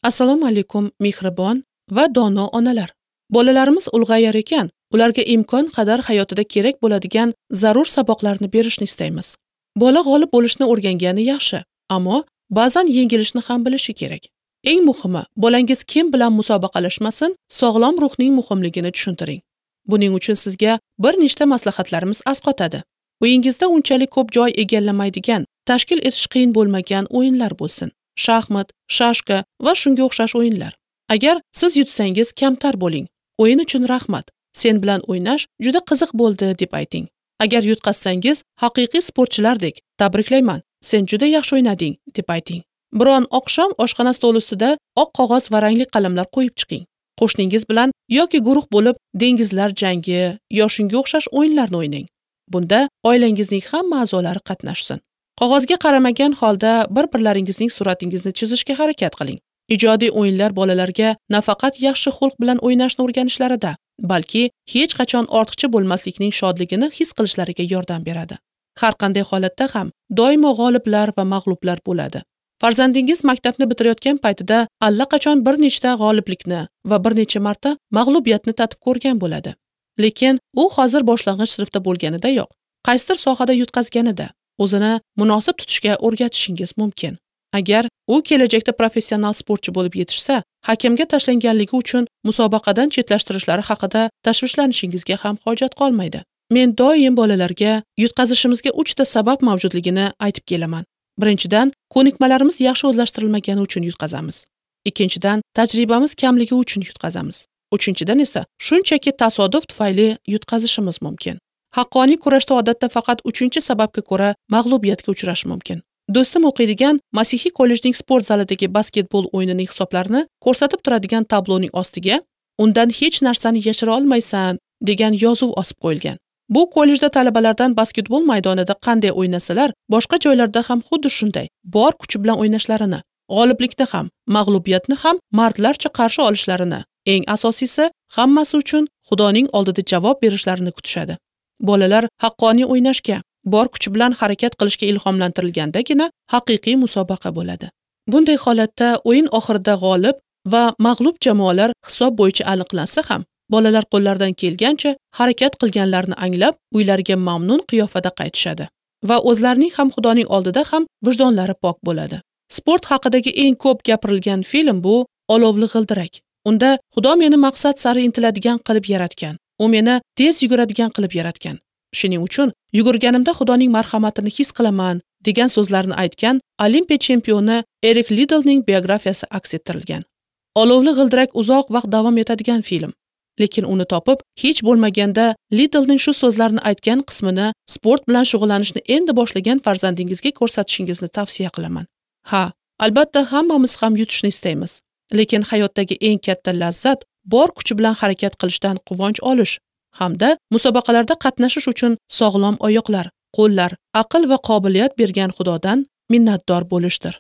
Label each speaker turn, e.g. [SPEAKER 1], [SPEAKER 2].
[SPEAKER 1] Assalomu alaykum mehribon va dono onalar. Bolalarimiz ulg'ayar ekan, ularga imkon qadar hayotida kerak bo'ladigan zarur saboqlarni berishni istaymiz. Bola g'olib bo'lishni o'rgangani yaxshi, ammo ba'zan yengilishni ham bilishi kerak. Eng muhimi, bolangiz kim bilan musobaqalashmasin, sog'lom ruhning muhimligini tushuntiring. Buning uchun sizga bir nechta maslahatlarimiz asqotadi. Uyingizda unchalik ko'p joy egallamaydigan, tashkil etish qiyin bo'lmagan o'yinlar bo'lsin. Shaxmat, shashka va shunga o'xshash o'yinlar. Agar siz yutsangiz, kamtar bo'ling. O'yin uchun rahmat. Sen bilan o'ynash juda qiziq bo'ldi deb ayting. Agar yutqazsangiz, haqiqiy sportchilardek tabriklayman. Sen juda yaxshi o'ynading deb ayting. Biron oqshom oshxona stoli ustida oq qog'oz va rangli qalamlar qo'yib chiqing. Qo'shningiz bilan yoki guruh bo'lib dengizlar jangi yo shunga o'xshash o'yinlarni o'ynang. Bunda oilangizning hamma a'zolari qatnashsin. Qog'ozga qaramagan holda bir-birlaringizning suratingizni chizishga harakat qiling. Ijodiy o'yinlar bolalarga nafaqat yaxshi xulq bilan o'ynashni o'rganishlarida, balki hech qachon ortiqcha bo'lmaslikning shodligini his qilishlariga yordam beradi. Har qanday holatda ham doimo g'oliblar va mag'lublar bo'ladi. Farzandingiz maktabni bitirayotgan paytida allaqachon bir nechta g'oliblikni va bir necha marta mag'lubiyatni tatib ko'rgan bo'ladi. Lekin u hozir boshlang'ich sinfda bo'lganidayoq, qaysidir sohada yutqazganida o'zini munosib tutishga o'rgatishingiz mumkin. Agar u kelajakda professional sportchi bo'lib yetishsa, hakamga tashlanganligi uchun musobaqadan chetlashtirishlari haqida tashvishlanishingizni ham hojat qolmaydi. Men doim bolalarga yutqazishimizga 3 ta sabab mavjudligini aytib kelaman. Birinchidan, ko'nikmalarimiz yaxshi o'zlashtirilmagani uchun yutqazamiz. Ikkinchidan, tajribamiz kamligi uchun yutqazamiz. Uchinchidan esa shunchaki tasodif tufayli yutqazishimiz mumkin. Haqqoniy kurashda odatda faqat 3-sababga ko'ra mag'lubiyatga uchrash mumkin. Do'stim o'qiydigan Masihiy kollejning sport zalidagi basketbol o'yinining hisoblarini ko'rsatib turadigan tabloning ostiga "Undan hech narsani yashira olmaysan" degan yozuv osib qo'yilgan. Bu kollejda talabalardan basketbol maydonida qanday o'ynasalar, boshqa joylarda ham xuddi shunday bor kuchi bilan o'ynashlarini, g'oliblikni ham, mag'lubiyatni ham mardlarcha qarshi olishlarini, eng asosiysi, hammasi uchun Xudoning oldida javob berishlarini kutishadi. Bolalar haqqoniy o'ynashga, bor kuchi bilan harakat qilishga ilhomlantirilgandagina haqiqiy musobaqa bo'ladi. Bunday holatda o'yin oxirida g'olib va mag'lub jamoalar hisob bo'yicha aniqlansa ham, bolalar qo'llaridan kelgancha harakat qilganlarini anglab, uylariga mamnun qiyofada qaytishadi va o'zlarining ham Xudoning oldida ham vijdonlari pok bo'ladi. Sport haqidagi eng ko'p gapirilgan film bu Olovli g'ildirak. Unda Xudo meni maqsad sari intiladigan qilib yaratgan. U meni tez yuguradigan qilib yaratgan. Shuning uchun yugurganimda Xudoning marhamatini his qilaman degan so'zlarni aytgan Olimpiya chempioni Erik Lidlning biografiyasi aks ettirilgan. Olovli g'ildirak uzoq vaqt davom etadigan film. Lekin uni topib, hech bo'lmaganda Lidlning shu so'zlarni aytgan qismini sport bilan shug'ullanishni endi boshlagan farzandingizga ko'rsatishingizni tavsiya qilaman. Ha, albatta hammamiz ham yutishni istaymiz. Lekin hayotdagi eng katta lazzat bor kuchi bilan harakat qilishdan quvonch olish hamda musobaqalarda qatnashish uchun sog'lom oyoqlar, qo'llar, aql va qobiliyat bergan Xudodan minnatdor bo'lishdir.